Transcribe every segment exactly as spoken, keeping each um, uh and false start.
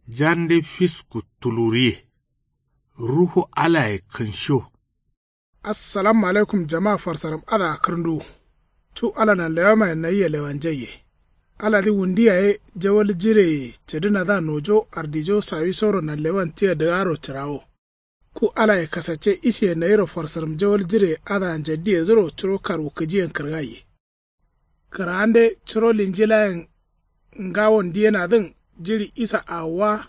Jande fisku tuluriye. Ruhu alaye kǝnsho. Assalamu alaikum jama farsaram adǝa kǝrnduwu. Cu ala nanlewamaye nayia lewanjaiye. Aladǝ wundu yaye jawal jireye cǝdǝnadǝa nojo ardijo sawisoro nanlewan tia dǝgaro cǝrawo. Ku alaye kasacce isiye nayiro farsaram jawal jireye adǝa njaddiyedǝro curo karwukǝjiyen kǝrgaiye. Kǝraande curo linjilayen ngawon diyenadǝn jiɍi isa awowa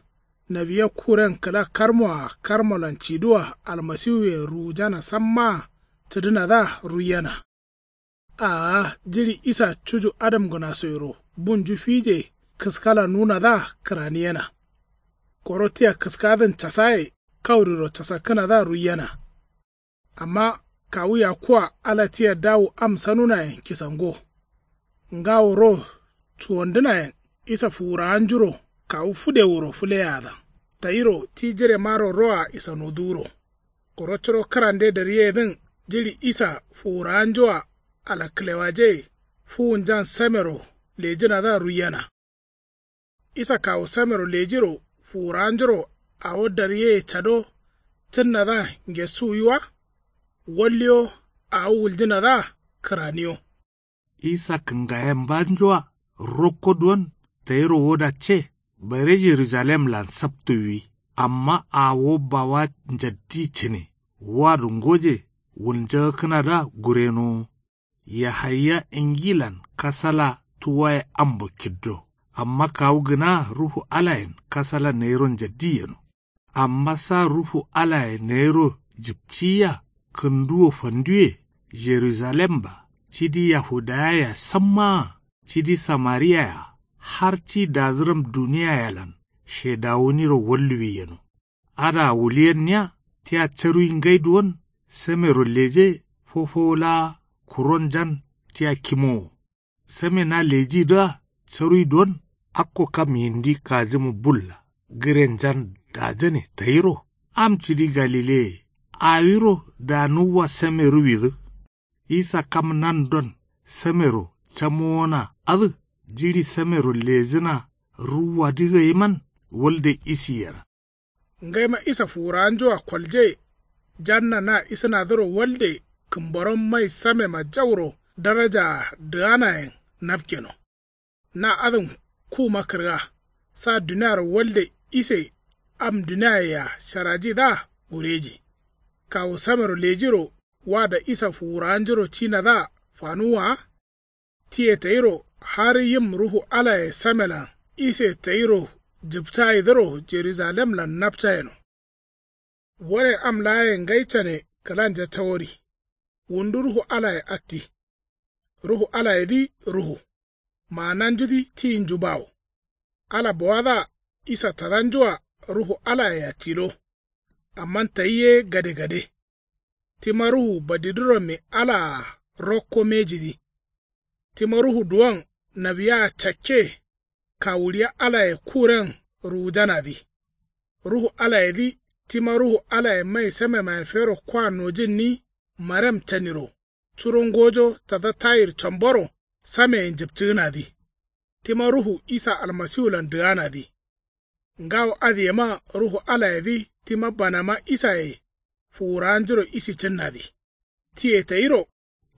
nawiya kuren kǝla karmoa karmolan ciduwa almasiwuyen ruwujana sammaa cǝdǝnadǝa ruiyena. Aa jiɍi isa cuju adamgǝnasoyero bunju fije kǝskala nunadǝa kǝraniyena. Koro tia kǝskadǝn casaye kauriro casakkǝnadǝa ruiyena. Amma kawu yakkua ala tia dawu am sanunayen kisango. Ngawo ro cuwandǝnayen isa fuwurawanjuro kawu fǝdewuro fǝleyadan tayiro ti jiremaro roa isanoduwuro. Koro curo kǝrande daryeyedǝn jiɍi isa fuwurawanjoa alakkǝlewaje fuwunjan samero lejǝnadǝa ruiyena. Isa kawu samero lejiro fuwurawanjuro awo daryeye cado cǝnnadǝa ngesuwwi wa. Walliyo awo wuljǝnadǝa kǝraniyo. Isa kǝngayenbanjoa rokko duwon tayiro wodacce bare jerujalemlan saptuwwi. Amma awo bawa njaddi cǝne wado ngoje wulnjagakkǝnadǝa gurenowo. Yahaya ingilan kasala tuwaye ambo kiddo. Amma kawu gǝnaa ruhu alayen kasala nayiro njaddi yeno. Amma sa ruhu alaye nayiro jipciyia kǝnduwo fanduwe jerujalem-a cidi yahudayayea sammaa cidi samariyayea har ci dazǝram duniyayelan shedawuniro walluwi yeno. Adǝa wuliyenniya tia caruwi ngai duwon samero leje fofowo laa kuronjan tia kimowo. Same na lejidǝa caruwi duwon akko kam yindi kajǝmu bulla gǝrenjan dajane tayiro am cidi galileye awiro danuwwa same ruwidǝ. Isa kam nandon samero camowona adǝ jiɍi samero lejǝna ruwwadǝ gaiman walde isi yera. Ngaima isa fuwurawanjoa kolje janna na isǝnadǝro walde kǝmboron mai samema jauro darajaa dǝganayen napkeno. Na adǝn kuma kǝrga sa duniaro walde ise am duniayea sharajidǝa gureji. Kawu samero lejiro wada isa fuwurawanjuro cinadǝa fanuwwa wa. Tiye tayiro har yim ruhu alaye samelan ise tayiro jǝpcayidǝro jerujalemlan napcayeno. Wane am laaye ngai cane kǝlanja cawori. Wundu ruhu alaye atti. Ruhu alayedǝ ruhu maananjudǝ tiyinju bawo. Ala bowadǝa isa tadanjua ruhu alayea tilo. Amma tayi ye gadegade. Tima ruhu badidǝrommi alaa rokko mejidǝ. Tima ruhu duwon nawiyaa cakke kawuɍiya alaye kuren ruwujanadǝ. Ruhu alayedǝ tima ruhu alaye mai samemaye fero kwa nojǝnni marem caniro curo ngojo tada tayir comboro sameyen jǝpcǝgǝnadǝ. Tima ruhu isa almasiwulan dǝganadǝ. Ngawo adǝ yema ruhu alayedǝ tima banama isaye fuwurawanjuro isi cǝnnadǝ. Tiye tayiro.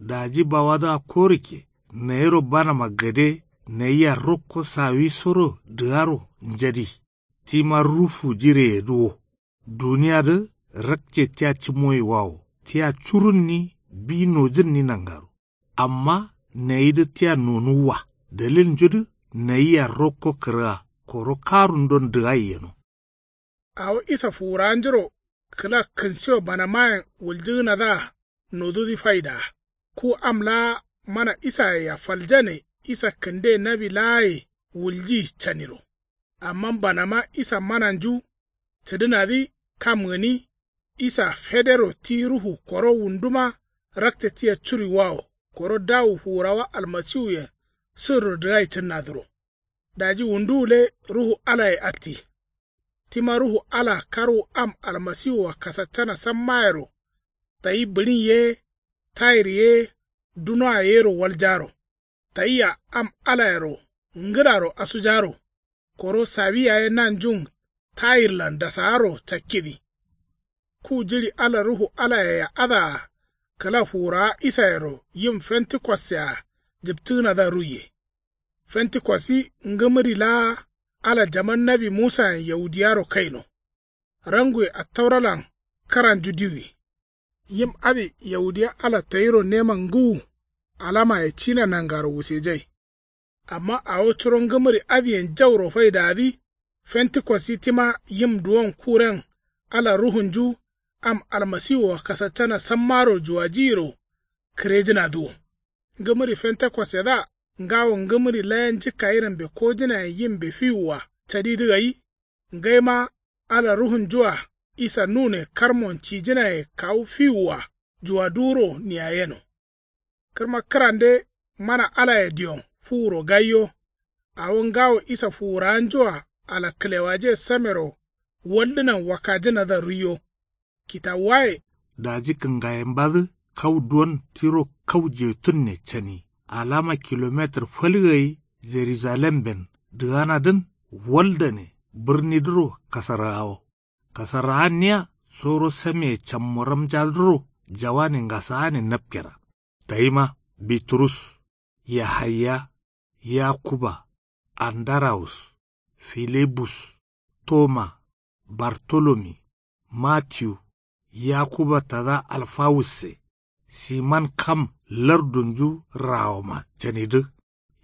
Daji bawadǝa korikke nayiro banama gade nayia rokko sawisoro dǝgaro njadi. Tima ruhu jireyedǝ wo. Duniyadǝ rakce tia cǝmoyiwawo tia curunni bi nojǝnni nangaro. Amma nayidǝ tia nonuwwa dalilnjudǝ nayia rokko kǝrga koro karundon dǝgai yeno. Awo isa fuwurawanjuro kǝla kǝnsiyo banamayen wuljǝgǝnadǝa nodudǝ faidaa. Ku am laa mana isayea faljane isa kǝnde nawi laaye wulji caniro. Amma banama isa mananju cǝdǝnadǝ kam gǝni. Isa federo ti ruhu koro wunduma rakce tia curiwawo koro dawu fuwurawa almasiwuyen sǝrro dǝgai cǝnnadǝro. Daji wundu gǝle ruhu alaye atti. Tima ruhu ala karwu am almasiwua kasaccana sammayero tayi bǝɍin ye tayir ye dunoa yero waljaro. Tayia am alayero ngǝlaro asujaro koro sawi yaye nanjun kayirlan dasaaro cakkidi. Ku jiɍi ala ruhu alayea adǝa kǝla fuwurawa isayero yim fentikos-yea jǝptǝgǝnadǝa ruiye. Fentikosi ngǝmǝri laa ala jaman nawi musayen yaudiwaro kaino. Ranguwe attauralan kǝranju diwi. Yim adǝ yaudiya ala tayiro neman ngǝwu alamaye cina nangaro wusejai. Amma awo curo ngǝmǝri adǝyen jauro faidadǝ. Fentikosi tima yim duwon kuren ala ruhunju am almasiwua kasaccana sammaro juwajiyiro kǝrejǝnadǝ wo. Ngǝmǝri fentekossedǝa ngawo ngǝmǝri layen jǝkkayi rambe kojǝnayen yimbe fiwua cadidǝ gai. Ngaima ala ruhunjua isa nune karmon cijǝnaye kawu fiwua juwaduwuro niyayeno. Kǝrma kǝrande mana alaye diyon fuwuro gaiyo. Awo ngawo isa fuwurawanjua ala kǝlewaje samero waldǝnan wakkajǝnadǝa ruiyo. Kitawuwaye. Daji kǝngayembadǝ kau duwon tiro kau jetunne cani alama kilometir fal gai. Jerujalemben dǝganadǝn waldane bǝrnidǝro kasarrawo. Kasarrawanniya soro sameye cammoramjadǝro jawane ngasaane napkera. Tayima biturus, yahaya, yakuba, andarawus, filibus, toma, bartolomi, matiyu, yakuba tada alfawusse, siman kam lardunju rawoma canidǝ,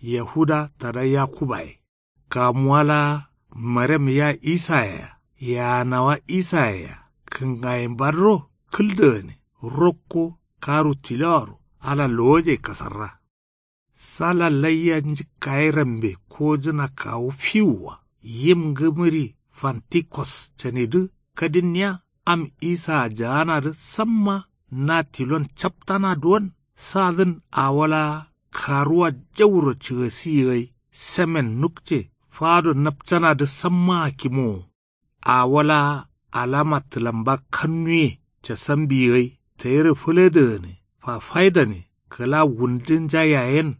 yahuda tada yakubaye. Kamuwa laa marem ya isayea yaanawa isayea kǝngayembadǝro kǝldǝgane rokko karu tilowaro ala lowoje kasarra. Sala laiya njǝkkaye rambe kojǝna kawu fiwua yim ngǝmǝri fantikos canidǝ kadinniya am isaa jaanadǝ samma na tilon captana duwon sadǝn awo laa karuwa jauro cǝgasiyi gai samen nukce fado napcanadǝ sammaa kimowo. Awo laa alama tǝlamba kannuye casambiyi gai tayiro fǝledǝgǝne fafaidane kǝla wundunja yayen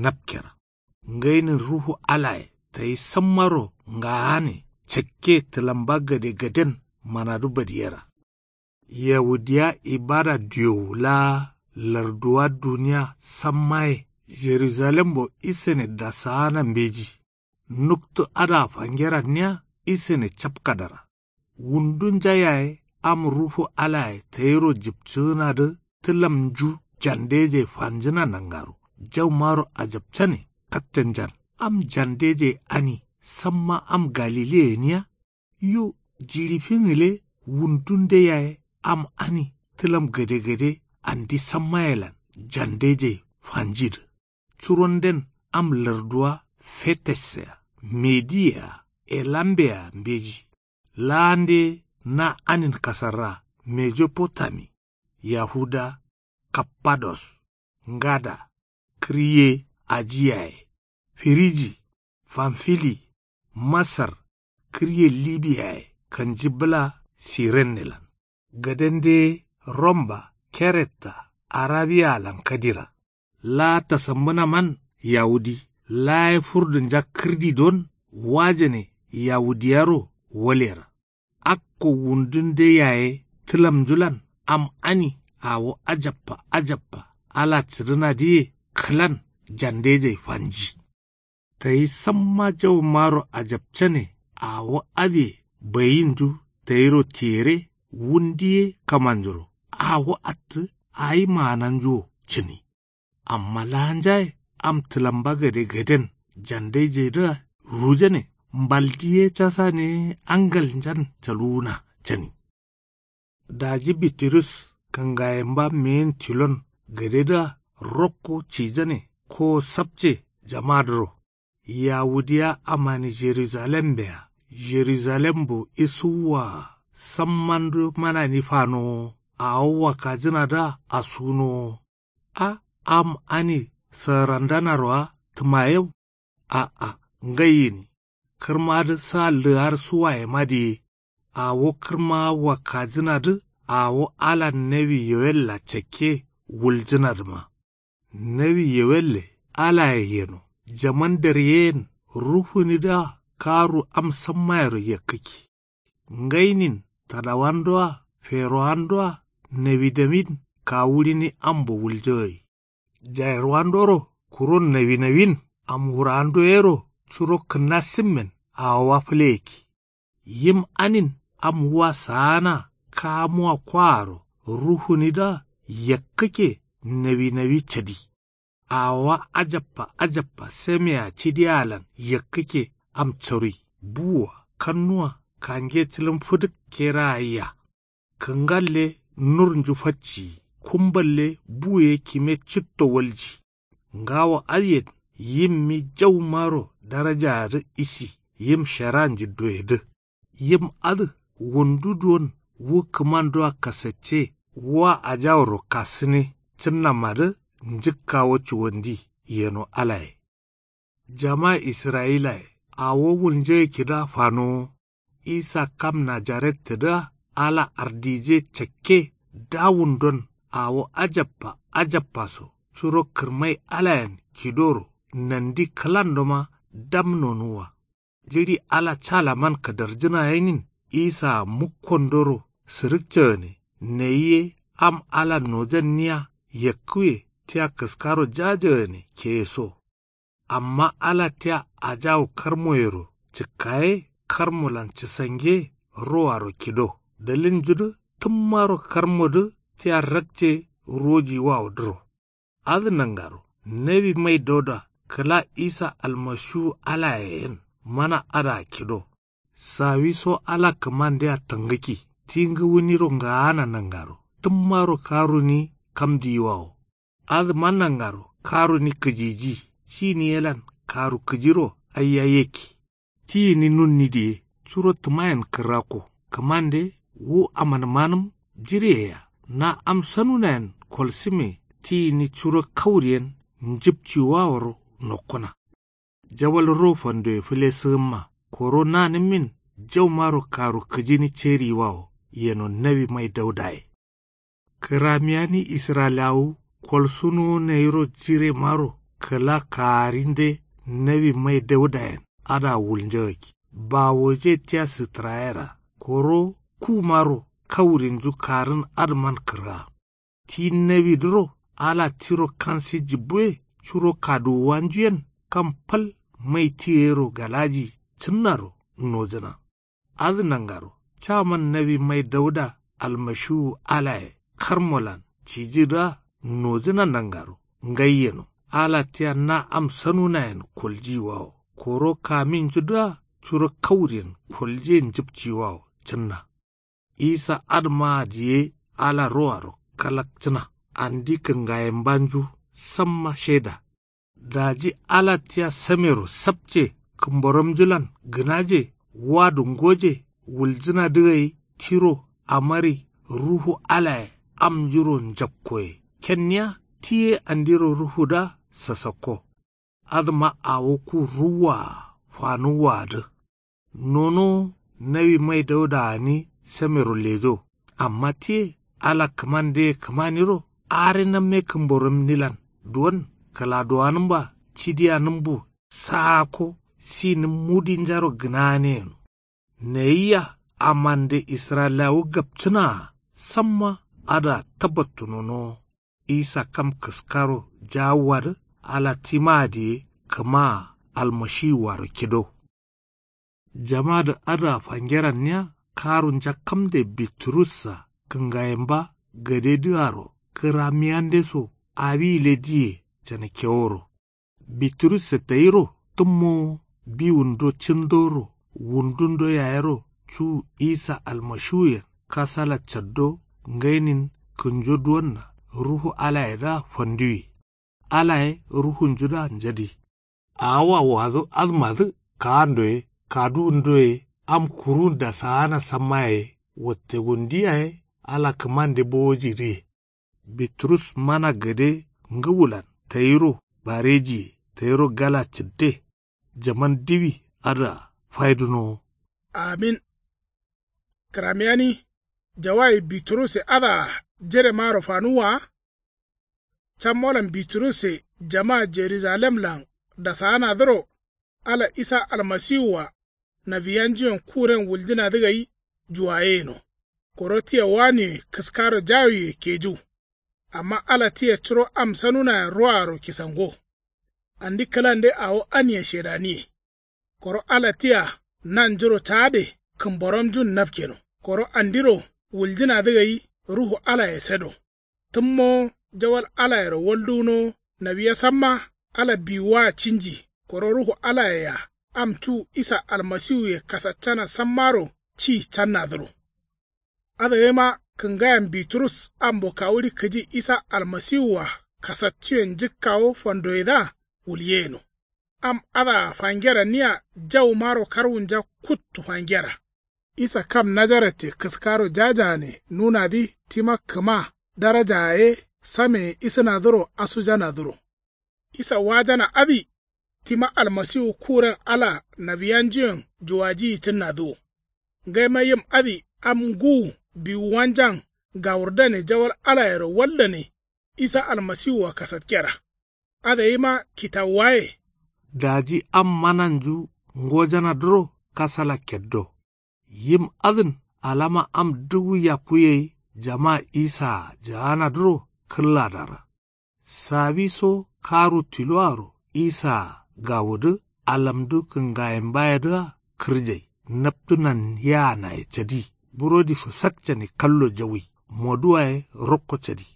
napkera. Ngainin ruhu alaye tayi sammaro ngaane cakke tǝlamba gadegaden manadu badiyera. Yaudiya ibada diyowu laa larduwa duniya sammaye jerujalembo isane dasaana mbeji. Nuktu adǝa fangeranniya isane capkadara. Wundunja yaye am ruhu alaye tayiro jipcǝgǝnadǝ tǝlamnju jandeje fanjǝna nangaro jaumaro ajapcane kattenjan am jandeje ani samma am galiliye gǝniya. Yo jiɍi fingǝle wundunde yaye am ani tǝlam gadegade andi sammayelan jandejei fanjidǝ. Curonden am larduwa fetessea mediye-a elambe-a mbeji. Laande na anin kasarra mejopotami yahuda kappados ngada kǝrye aji yaye firiji famfili masar kǝrye libi yaye kanji bǝla sirennelan gadende romba keretta arabiyalan kadira. Laa tasambǝnaman yawudi laa ye furdunja kǝrdi don wajane yawudiyaro walera. Akko wundunde yaye tǝlamnjulan am ani awo ajappa ajappa ala cǝdǝnadǝye kǝlan jandejai fanji. Tayi samma jaumaro ajapcane awo adǝye bayinju tayiro tiyere wundu ye kamanjuro awo attǝ ayi maananjuwo cǝni. Amma laanjaye am tǝlamba gadegaden jandaijai dǝa rujane mbaldi ye casane angalnjan caluwuna cani. Daji bitirus kǝngayemba meyin tilon gadedǝa rokko cijane kowo sapce jamadǝro. Yawudiya amani jerujalembe-a jerujalembo isuwwa-a sammandu manani fanowo awo wakkajǝnadǝa asunowo. A am ani sǝgǝrandanaro-a tǝmayeu. A'a ngai gǝni kǝrmadǝ sa lǝgar suwayema diye. Awo kǝrma wakkajǝnadǝ awo alan nawi yowella cakke wuljǝnadǝma. Nawi yowelle alaye yeno jaman deryeyen ruhunidǝa karu am sammayero yakkǝkki. Ngainin tadawandoa ferowandoa nawinawin kawuɍini ambo wuljagai. Jairwandoro kuro nawinawin amwurawando yero curo kǝnna simmen awowa fǝleyakki. Yim anin am wua saana kamuwa kwaaro ruhunidǝa yakkǝkke. Nawinawi cadi awowa ajabba ajabba samea cidiyalan yakkǝkke. Am carui buwua kannuwa kange cǝlǝm fǝdǝk kera gaiya. Kǝngalle nurnju facciyi kumballe buye kime citto walji. Ngawo adǝyen yimmi jaumaro darajaadǝ isi yim shara njiddoyedǝ. Yim adǝ wundu duwon wu kǝmandoa kasacce wa ajawuro kasǝne cǝnnamadǝ njǝkkawo cuwandi yeno alaye. Jama israyilaye awo wulnjegǝkkidǝa fanowo. Isa kam najarettǝdǝa ala ardije cakke dawundon awo ajabba ajabbaso curo kǝrmai alayen kidoro nandi kǝlandoma dam nonuwwa. Jiɍi ala calaman kadarjǝna yenin isaa mukkondoro sǝrǝkcagane nayi ye am ala nojanniya yakkǝwe tia kǝskaro jajagane keyeso. Amma ala tia ajawu karmoyero cǝkkaye karmolan cǝsange rowaro kido dalilnjudǝ tǝmmaro karmodǝ tia rakce rojiwawodǝro. Adǝ nangaro nawi mai dauda kǝla isa almasiwu alaye yen mana adǝa kido. Sawiso ala kǝmandea tangǝkki ti ngǝwuniro ngaana nangaro tǝmmaro karuni kam diyiwawo. Adǝma nangaro karuni kǝjiji cini yelan karu kǝjiro aiya yekki. Ti gǝni nunni diye curo tǝmayen kǝrrakko kǝmande wu amanǝmanǝm jireyeya na am sanunayen kolsǝme ti gǝni curo kauriyen njǝpciwaworo nokkuna. Jawal ro fandoye fǝlesǝgǝmma koro nanǝmmin jaumaro karu kǝjini ceriyiwawo yeno nawi mai daudaye. Kǝramiyani israyilawuwu kolsunowo nayiro jiremaro kǝla kaarinde nawi mai daudayen adǝa wulnjagakki bawoje tia sǝtǝrayera koro kumaro kaurinju karǝn adǝman kǝrga. Ti nawidǝro ala tiro kansi jǝbbuwe curo kaduwuwanju yen kam fal mai ti gayiro galaji cǝnnaro nojǝna. Adǝ nangaro caman nawi mai dauda almashiwu alaye karmolan cijidǝa nojǝna nangaro ngai yeno ala tia na am sanunayen koljiyiwawo koro kaminjudǝa curo kauriyen koljiye njǝpciyiwawo cǝnna. Isa adǝmaa diye ala rowaro kalakcǝna andi kǝngayembanju samma sheda. Daji ala tia samero sapce kǝmboramjulan gǝnaje wadu ngoje wuljǝnadǝ gai tiro amari ruhu alaye amnjuro njakkoye kenniya ti ye andiro ruhudǝa sasakko. Adǝma awo ku ruwwaa fanuwwaadǝ. Nonowo nawi mai dauda gǝni samero lejo amma tiye ala kǝmandeye kǝmaniro are namme kǝmboramnilan duwon kǝladuwanǝmba cidiyanǝmbu saakko sinǝm mudinjaro gǝnagane yeno. Nayiya amande israyilawu gapcǝnaa samma adǝa tabattu nonowo. Isa kam kǝskaro jawuwadǝ ala timaa diye kǝmaa almashiwuaro kido. Jamadǝ adǝa fangeranniya karu njakkamde biturussa kǝngayemba gadedǝaro kǝramiyandeso awi gǝle diye canakeworo. Biturusse tayiro tǝmmowo biwundo cǝndoro wundundo yayero cu isa almashiwuyen kasala caddo ngainin kǝnjo duwonna ruhu alayedǝa fanduwi. Alaye ruhunjudǝa njadi. Awoa wado adǝmadǝ kaando ye kaduwundo ye am kuruwun dasaana samma yaye watte wundu yaye ala kǝmande bowojidǝ ye. Biturus mana gade ngǝwulan tayiro barejiye tayiro gala cǝdde. Jaman diwi adǝa faidǝnowo. Amin. Kǝramiyani jawayi biturusse adǝa jeremaro fanuwwa wa. Cammolan biturusse jama jerujalemlan dasaanadǝro ala isa almasiwua nawiyanjuyen kuren wuljǝnadǝ gai juwayeyeno. Koro tia waniwe kǝskaro jawiwe keju. Amma ala tia curo am sanunayen ruwaro kisango. Andi kǝlande awo anie shedaniye. Koro ala tia nanjuro caade kǝmboramjun napkeno. Koro andiro wuljǝnadǝ gai ruhu alaye sado. Tǝmmo jawal alayero walduwuno. Nawiya samma ala biwuwa cinji. Koro ruhu alaye-a am cu isa almasiwuye kasaccana sammaro ci cannadǝro. Adǝgaima kǝngayen biturus ambo kawuɍi kǝji isa almasiwua kasaccuyen njǝkkawo fandoyedǝa wulyeyeno. Am adǝa fangeranniya jaumaro karwunja kuttu fangera. Isa kam najaratye kǝskaro jajaane nunadǝ tima kǝma daraja ye sameye isǝnadǝro asujanadǝro. Isa wajana adǝ tima almasiwu kuren ala nawiyanjuyen juwajiyi cǝnnadǝ wo. Ngaima yim adǝ am ngǝwu biwuwanjan gawurdane jawal alayero waldane isa almasiwua kasatkera. Adǝgaima kitawuwaye. Daji am mananju ngojanadǝro kasala keddo. Yim adǝn alama am dǝwu yakku gai jama isaa jaanadǝro kǝlladara. Sawiso karu tiloaro isaa gawudǝ alamdǝ kǝngayimbayedǝa kǝrjai. Naptǝnan yaanaye cadi burodi fǝsakcane kallo jawi moduwaye rokko cadi.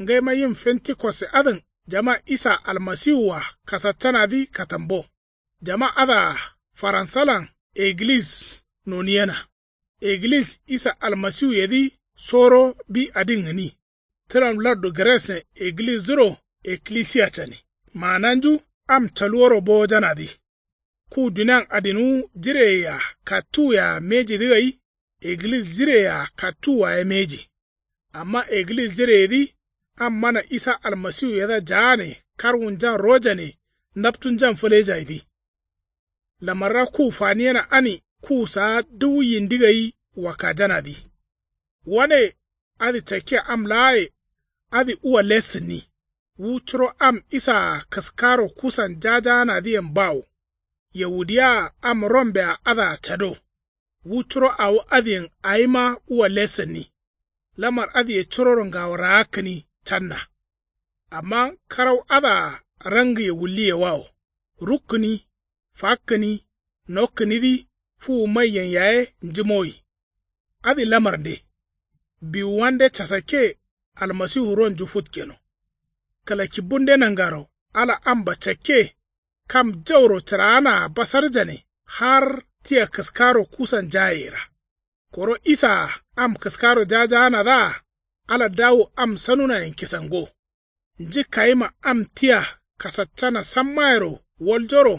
Ngaima yim fentikoste adǝn jama isa almasiwua kasaccanadǝ katambo. Jama adǝa faransalan egilis noniyena. Egilis isa almasiwuyedǝ soro bi adin gǝni. Tǝlam lardu gǝressen egilisdǝro eklisiya cani. Maananju am caluworo bowojanadǝ. Ku dunian adinwu jireyea kattuwea mejidǝ gai egilis jireyea kattuwuwa ye meji. Amma egilis jireyedǝ am mana isa almasiwuyedǝa jaane karwunjan rojane naptunjan fǝlejaidǝ. Lamarra ku faniyena ani ku saa dǝwu yindi gai wakajanadǝ. Wane adǝ cakke am laaye adǝ uwa lessǝnni. Wu curo am isaa kǝskaro kusan jajaanadǝyen bawo. Yawudiyawaa am rombea adǝa cado. Wu curo awo adǝyen awima uwa lessǝnni. Lamar adǝye curoro ngawo raakkǝni canna. Amma karau adǝa rangǝye wulliyewawo rukkǝni fakkǝni nokkǝnidǝ fuwu maiyen yaye njǝmowi. Adǝ lamarnde biwuwande casakke almasiwu ronju futkeno. Kǝlakibbunde nangaro ala amba cakke kam jauro cǝraanaa basarjane har tia kǝskaro kusan jayeyera. Koro isaa am kǝskaro jajaanadǝa ala dawu am sanunayen kisango. Njǝkkayima am tia kasaccana sammayero waljoro.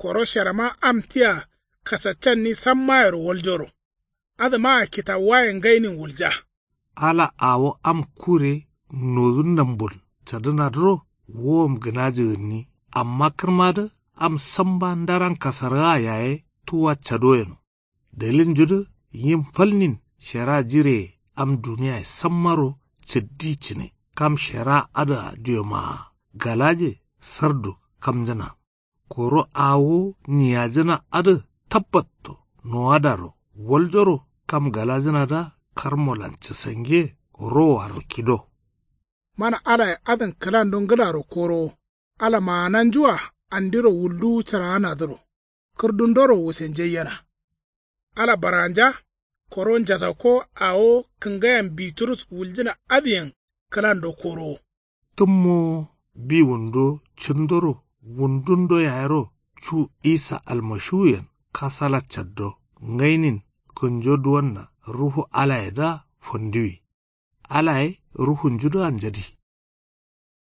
Koro sherama am tia kasaccanni sammayero waljoro. Adǝmaa kitawuwayen ngainin wulja. Ala awo am kure nodu nambul cadǝnadǝro wowom gǝnaji gǝnni. Amma kǝrmadǝ am samba ndaran kasargaa yaye tuwa cado yeno. Dalilnjudǝ yim falnin shera jireye am duniyaye sammaro cǝddi cǝne kam shera adǝa diomaa galaje sardu kamjǝna. Koro awo niyajǝna adǝ tabbatto nowadaro waljoro kam galajǝnadǝa karmolan cǝsange rowaro kido. Mana alaye adǝn kǝlando ngǝlaro korowo. Ala maananjua andiro wulduwu cǝraanadǝro kǝrdundoro wusenjaiyena. Ala baranja koro njasakko awo kǝngayen biturus wuljǝna adǝyen kǝlando korowo. Tǝmmowo biwundo cǝndoro wundundo yayero cu isa almashiwuyen kasala caddo ngainin kǝnjo duwonna ruhu alayedǝa fanduwi. Alaye ruhunjudǝa njadi.